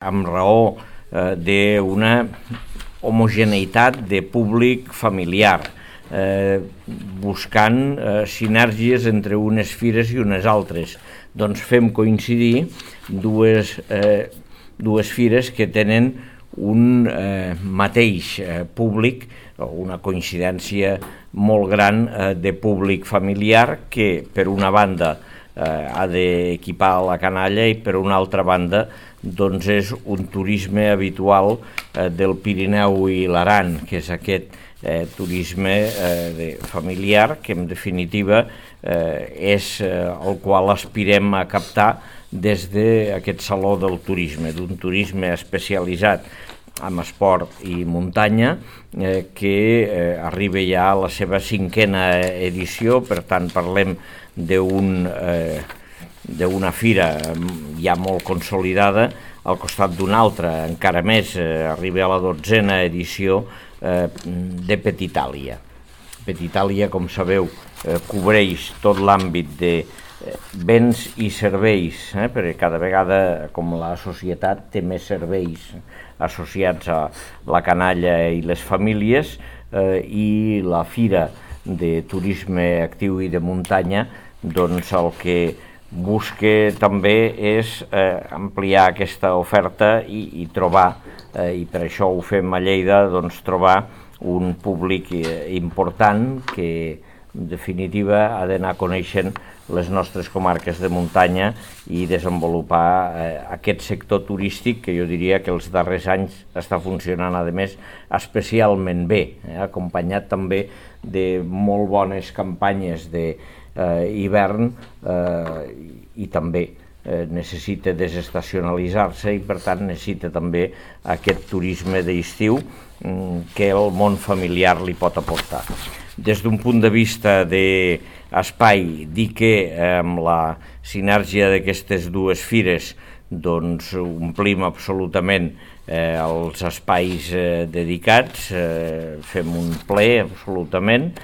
amb raó d'una homogeneïtat de públic familiar, buscant sinergies entre unes fires i unes altres. Doncs fem coincidir dues fires que tenen un mateix públic, una coincidència molt gran de públic familiar que per una banda ha d'equipar la canalla i per una altra banda doncs és un turisme habitual del Pirineu i l'Aran, que és aquest turisme familiar que en definitiva és el qual aspirem a captar des d'aquest Saló del Turisme, d'un turisme especialitzat en esport i muntanya que arriba ja a la seva 5a edició, per tant parlem d'una fira ja molt consolidada al costat d'una altra, encara més, arriba a la 12a edició de Petitàlia. Petitàlia, com sabeu, cobreix tot l'àmbit de béns i serveis, perquè cada vegada, com la societat, té més serveis associats a la canalla i les famílies, i la fira de turisme actiu i de muntanya, doncs el que busca també és ampliar aquesta oferta i trobar, i per això ho fem a Lleida, doncs trobar un públic important que en definitiva ha d'anar coneixent les nostres comarques de muntanya i desenvolupar aquest sector turístic que jo diria que els darrers anys està funcionant, a més, especialment bé, acompanyat també de molt bones campanyes d'hivern i també necessita desestacionalitzar-se i per tant necessita també aquest turisme d'estiu que el món familiar li pot aportar. Des d'un punt de vista d'espai, dir que amb la sinergia d'aquestes dues fires doncs omplim absolutament els espais dedicats, fem un ple absolutament